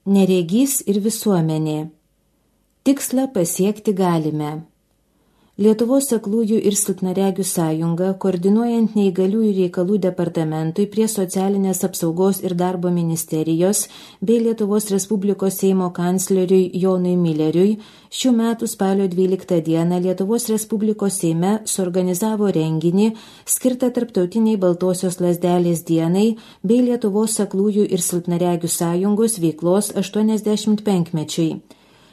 Neregys ir visuomenė. Tikslą pasiekti galime. Lietuvos aklųjų ir silpnaregių sąjunga, koordinuojant neįgaliųjų reikalų departamentui prie Socialinės apsaugos ir darbo ministerijos bei Lietuvos Respublikos Seimo kancleriui Jonui Milleriui, šių metų spalio 12 dieną Lietuvos Respublikos Seime suorganizavo renginį skirtą Tarptautiniai Baltosios lazdelės dienai bei Lietuvos aklųjų ir silpnaregių sąjungos veiklos 85-mečiui.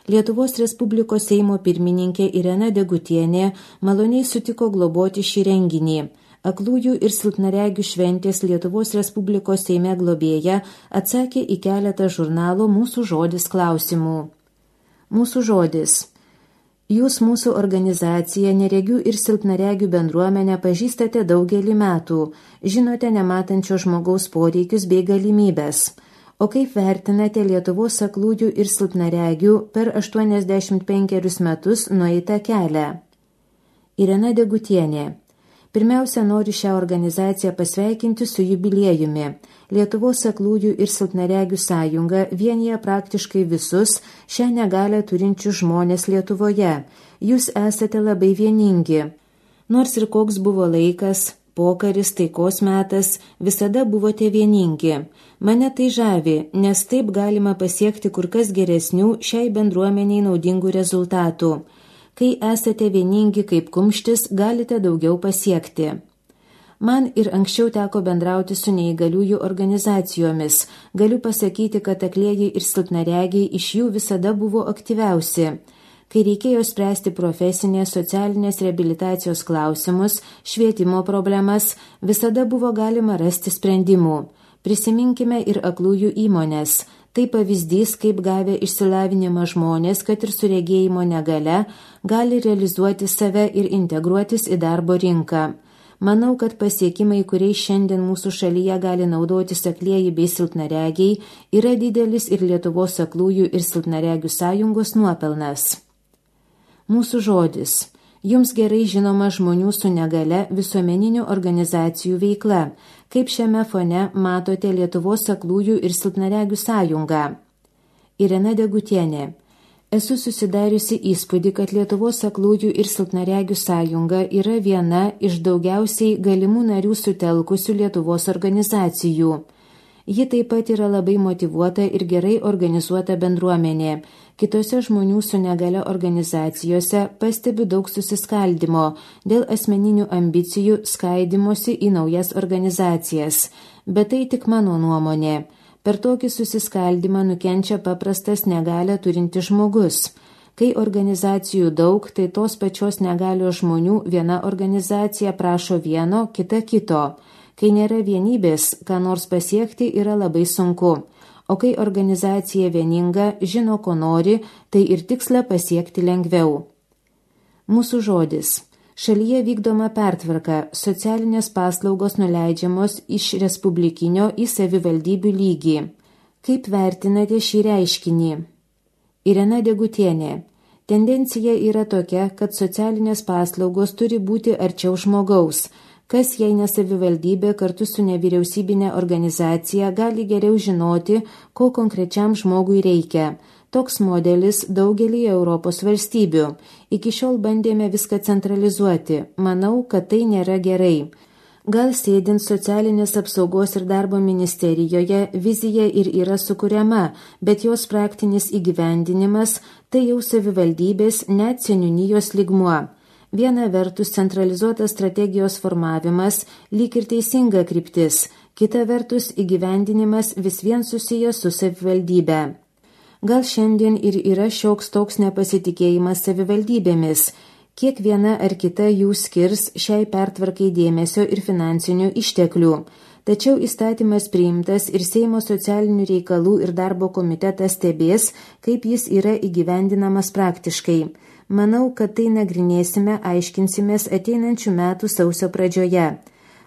Lietuvos Respublikos Seimo pirmininkė Irena Degutienė maloniai sutiko globoti šį renginį. Aklųjų ir silpnaregių šventės Lietuvos Respublikos Seime globėja atsakė į keletą žurnalo Mūsų žodis klausimų. Mūsų žodis. Jūs mūsų organizaciją neregių ir silpnaregių bendruomenę pažįstate daugelį metų, žinote nematančio žmogaus poreikius bei galimybės. O kaip vertinate Lietuvos aklųjų ir silpnaregių per 85 metus nueitą kelią? Irena Degutienė. Pirmiausia, noriu šią organizaciją pasveikinti su jubiliejumi. Lietuvos aklųjų ir silpnaregių sąjunga vienija praktiškai visus šią negalią turinčius žmonės Lietuvoje. Jūs esate labai vieningi. Nors ir koks buvo laikas, pokaris, taikos metas, visada buvote vieningi. Mane tai žavi, nes taip galima pasiekti kur kas geresnių šiai bendruomeniai naudingų rezultatų. Kai esate vieningi kaip kumštis, galite daugiau pasiekti. Man ir anksčiau teko bendrauti su neįgaliųjų organizacijomis. Galiu pasakyti, kad aklieji ir silpnaregiai iš jų visada buvo aktyviausi. Kai reikėjo spręsti profesinės, socialinės reabilitacijos klausimus, švietimo problemas, visada buvo galima rasti sprendimų. Prisiminkime ir aklųjų įmonės. Tai pavyzdys, kaip gavę išsilavinimą žmonės, kad ir su regėjimo negale, gali realizuoti save ir integruotis į darbo rinką. Manau, kad pasiekimai, kuriais šiandien mūsų šalyje gali naudotis aklieji bei silpnaregiai, yra didelis ir Lietuvos aklųjų ir silpnaregių sąjungos nuopelnas. Mūsų žodis. Jums gerai žinoma žmonių su negale visuomeninių organizacijų veikla. Kaip šiame fone matote Lietuvos aklųjų ir silpnaregių sąjungą? Irena Degutienė. Esu susidariusi įspūdį, kad Lietuvos aklųjų ir silpnaregių sąjunga yra viena iš daugiausiai galimų narių sutelkusių Lietuvos organizacijų. Ji taip pat yra labai motyvuota ir gerai organizuota bendruomenė. Kitose žmonių su negale organizacijose pastebiu daug susiskaldimo dėl asmeninių ambicijų skaidimosi į naujas organizacijas. Bet tai tik mano nuomonė. Per tokį susiskaldimą nukenčia paprastas negalę turintis žmogus. Kai organizacijų daug, tai tos pačios negalios žmonių viena organizacija prašo vieno, kita kito. Kai nėra vienybės, ką nors pasiekti yra labai sunku. O kai organizacija vieninga, žino, ko nori, tai ir tikslą pasiekti lengviau. Mūsų žodis. Šalyje vykdoma pertvarka, socialinės paslaugos nuleidžiamos iš respublikinio į savivaldybių lygį. Kaip vertinate šį reiškinį? Irena Degutienė. Tendencija yra tokia, kad socialinės paslaugos turi būti arčiau žmogaus. Kas, jei ne savivaldybė kartu su nevyriausybinė organizacija, gali geriau žinoti, ko konkrečiam žmogui reikia. Toks modelis daugelį Europos valstybių. Iki šiol bandėme viską centralizuoti. Manau, kad tai nėra gerai. Gal sėdint Socialinės apsaugos ir darbo ministerijoje vizija ir yra sukuriama, bet jos praktinis įgyvendinimas tai jau savivaldybės net seniūnijos lygmuo. Viena vertus centralizuotas strategijos formavimas lyg ir teisinga kryptis, kita vertus įgyvendinimas vis vien susijęs su savivaldybe. Gal šiandien ir yra šioks toks nepasitikėjimas savivaldybėmis, kiek viena ar kita jų skirs šiai pertvarkai dėmesio ir finansinių išteklių. Tačiau įstatymas priimtas ir Seimo socialinių reikalų ir darbo komitetas stebės, kaip jis yra įgyvendinamas praktiškai. Manau, kad tai nagrinėsime, aiškinsimės ateinančių metų sausio pradžioje.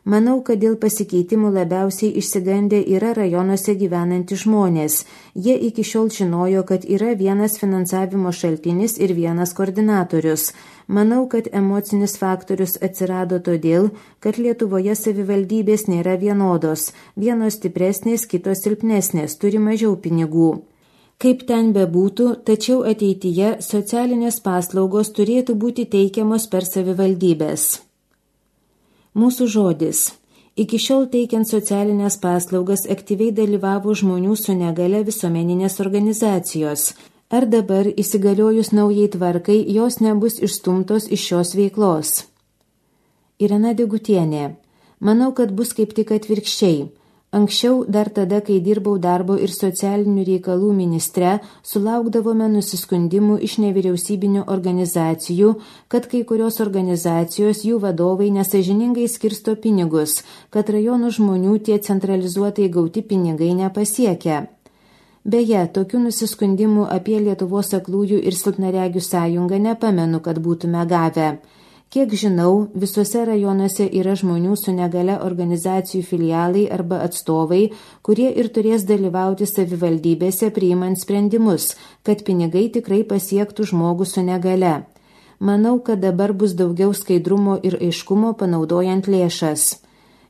Manau, kad dėl pasikeitimų labiausiai išsigandę yra rajonuose gyvenantys žmonės. Jie iki šiol žinojo, kad yra vienas finansavimo šaltinis ir vienas koordinatorius. Manau, kad emocinis faktorius atsirado todėl, kad Lietuvoje savivaldybės nėra vienodos. Vienos stipresnės, kitos silpnesnės, turi mažiau pinigų. Kaip ten bebūtų, tačiau ateityje socialinės paslaugos turėtų būti teikiamos per savivaldybės. Mūsų žodis. Iki šiol teikiant socialinės paslaugas aktyviai dalyvavo žmonių su negale visuomeninės organizacijos. Ar dabar įsigaliojus naujai tvarkai jos nebus išstumtos iš šios veiklos? Irena Degutienė. Manau, kad bus kaip tik atvirkščiai. Anksčiau, dar tada, kai dirbau darbo ir socialinių reikalų ministre, sulaukdavome nusiskundimų iš nevyriausybinių organizacijų, kad kai kurios organizacijos jų vadovai nesąžiningai skirsto pinigus, kad rajonų žmonių tie centralizuotai gauti pinigai nepasiekia. Beje, tokių nusiskundimų apie Lietuvos aklųjų ir silpnaregių sąjungą nepamenu, kad būtume gavę. Kiek žinau, visuose rajonuose yra žmonių su negale organizacijų filialai arba atstovai, kurie ir turės dalyvauti savivaldybėse priimant sprendimus, kad pinigai tikrai pasiektų žmogų su negale. Manau, kad dabar bus daugiau skaidrumo ir aiškumo panaudojant lėšas.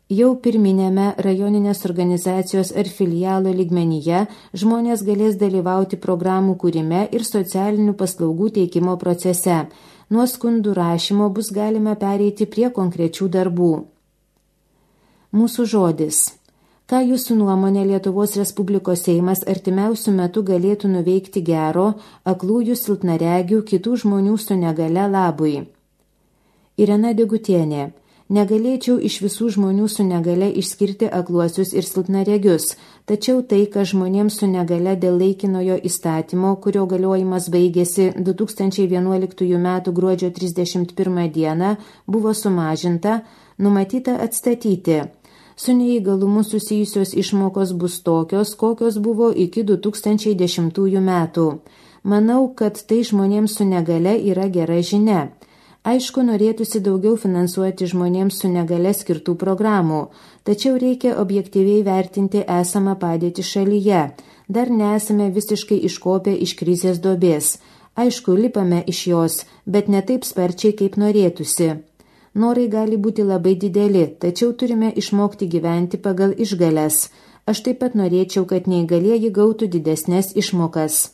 Jau pirminėme rajoninės organizacijos ar filialo lygmenyje žmonės galės dalyvauti programų kūrime ir socialinių paslaugų teikimo procese. Nuo skundų rašymo bus galima pereiti prie konkrečių darbų. Mūsų žodis. Ką jūsų nuomonė Lietuvos Respublikos Seimas artimiausių metų galėtų nuveikti gero, aklųjų, silpnaregių, kitų žmonių su negale labui? Irena Degutienė. Negalėčiau iš visų žmonių su negale išskirti akluosius ir silpnaregius, tačiau tai, kad žmonėms su negale dėl laikinojo įstatymo, kurio galiojimas baigėsi 2011 m. gruodžio 31 d. buvo sumažinta, numatyta atstatyti. Su neįgalumu susijusios išmokos bus tokios, kokios buvo iki 2010 metų. Manau, kad tai žmonėms su negale yra gera žinia. Aišku, norėtųsi daugiau finansuoti žmonėms su negale skirtų programų, tačiau reikia objektyviai vertinti esamą padėtį šalyje. Dar nesame visiškai iškopę iš krizės duobės. Aišku, lipame iš jos, bet ne taip sparčiai, kaip norėtųsi. Norai gali būti labai dideli, tačiau turime išmokti gyventi pagal išgales. Aš taip pat norėčiau, kad neįgalieji gautų didesnės išmokas.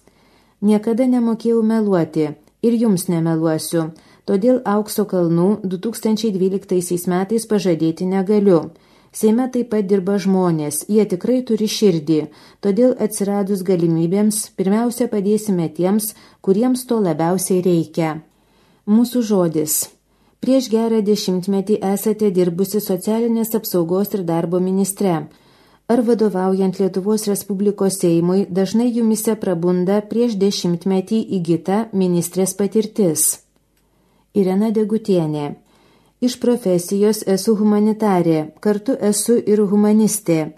Niekada nemokėjau meluoti ir jums nemeluosiu. Todėl aukso kalnų 2012 metais pažadėti negaliu. Seime taip pat dirba žmonės, jie tikrai turi širdį, todėl atsiradus galimybėms pirmiausia padėsime tiems, kuriems to labiausiai reikia. Mūsų žodis. Prieš gerą 10 metį esate dirbusi socialinės apsaugos ir darbo ministre. Ar vadovaujant Lietuvos Respublikos Seimui dažnai jumise prabunda prieš 10 metį įgyta ministrės patirtis? Irena Degutienė. Iš profesijos esu humanitarė, kartu esu ir humanistė.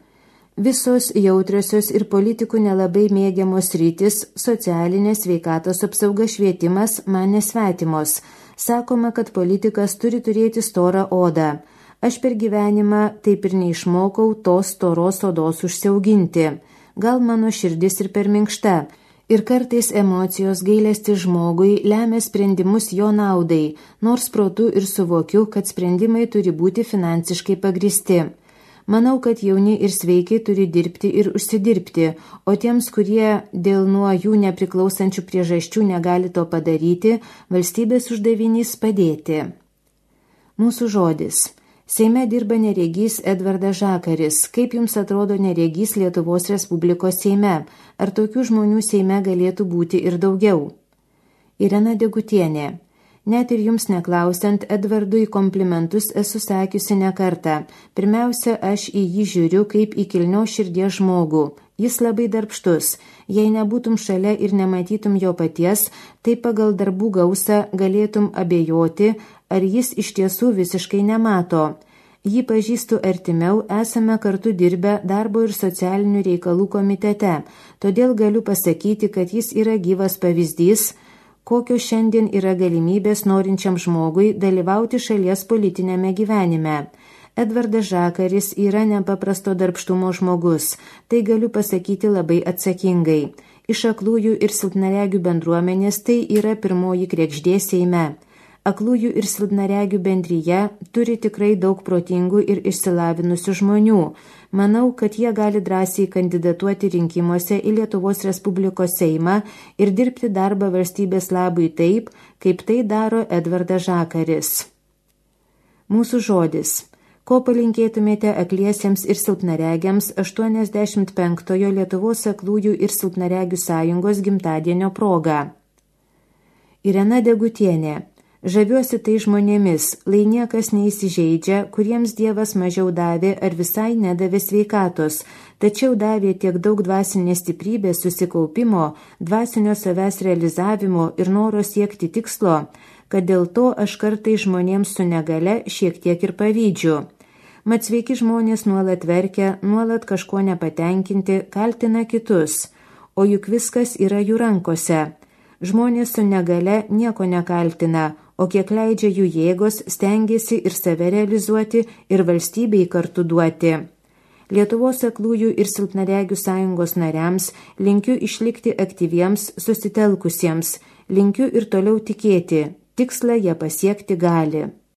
Visos jautriosios ir politikų nelabai mėgiamos rytis, socialinės, sveikatos apsauga, švietimas man nesvetimos. Sakoma, kad politikas turi turėti storą odą. Aš per gyvenimą taip ir neišmokau tos storos odos užsiauginti. Gal mano širdis ir per minkšta. Ir kartais emocijos gailestis žmogui lemia sprendimus jo naudai, nors protu ir suvokiu, kad sprendimai turi būti finansiškai pagristi. Manau, kad jauni ir sveikai turi dirbti ir užsidirbti, o tiems, kurie dėl nuo jų nepriklausančių priežasčių negali to padaryti, valstybės uždavinys padėti. Mūsų žodis. Seime dirba neregys Edvardas Žakaris. Kaip jums atrodo neregys Lietuvos Respublikos Seime? Ar tokių žmonių Seime galėtų būti ir daugiau? Irena Degutienė. Net ir jums neklausiant, Edvardui komplimentus esu sakiusi ne kartą. Pirmiausia, aš į jį žiūriu kaip į kilnios širdies žmogų. Jis labai darbštus. Jei nebūtum šalia ir nematytum jo paties, tai pagal darbų gausą galėtum abejoti, ar jis iš tiesų visiškai nemato. Jį pažįstu artimiau, esame kartu dirbę darbo ir socialinių reikalų komitete, todėl galiu pasakyti, kad jis yra gyvas pavyzdys, kokios šiandien yra galimybės norinčiam žmogui dalyvauti šalies politinėme gyvenime. Edvardas Žakaris yra nepaprasto darbštumo žmogus, tai galiu pasakyti labai atsakingai. Iš aklųjų ir silpnaregių bendruomenės tai yra pirmoji kregždė Seime. Aklųjų ir silpnaregių bendryje turi tikrai daug protingų ir išsilavinusių žmonių. Manau, kad jie gali drąsiai kandidatuoti rinkimuose į Lietuvos Respublikos Seimą ir dirbti darbą valstybės labui taip, kaip tai daro Edvardas Žakaris. Mūsų žodis. Ko palinkėtumėte akliesiems ir silpnaregiams 85-ojo Lietuvos aklųjų ir silpnaregių sąjungos gimtadienio proga? Irena Degutienė. Žaviuosi tai žmonėmis, lai niekas neįsižeidžia, kuriems Dievas mažiau davė ar visai nedavė sveikatos, tačiau davė tiek daug dvasinės stiprybės, susikaupimo, dvasinio savęs realizavimo ir noro siekti tikslo, kad dėl to aš kartai žmonėms su negale šiek tiek ir pavydžiu. Mat sveiki žmonės nuolat verkia, nuolat kažko nepatenkinti, kaltina kitus, o juk viskas yra jų rankose. Žmonės su negale nieko nekaltina, o kiek leidžia jų jėgos, stengiasi ir save realizuoti, ir valstybei kartu duoti. Lietuvos aklųjų ir silpnaregių sąjungos nariams linkiu išlikti aktyviems, susitelkusiems, linkiu ir toliau tikėti, tikslą jie pasiekti gali.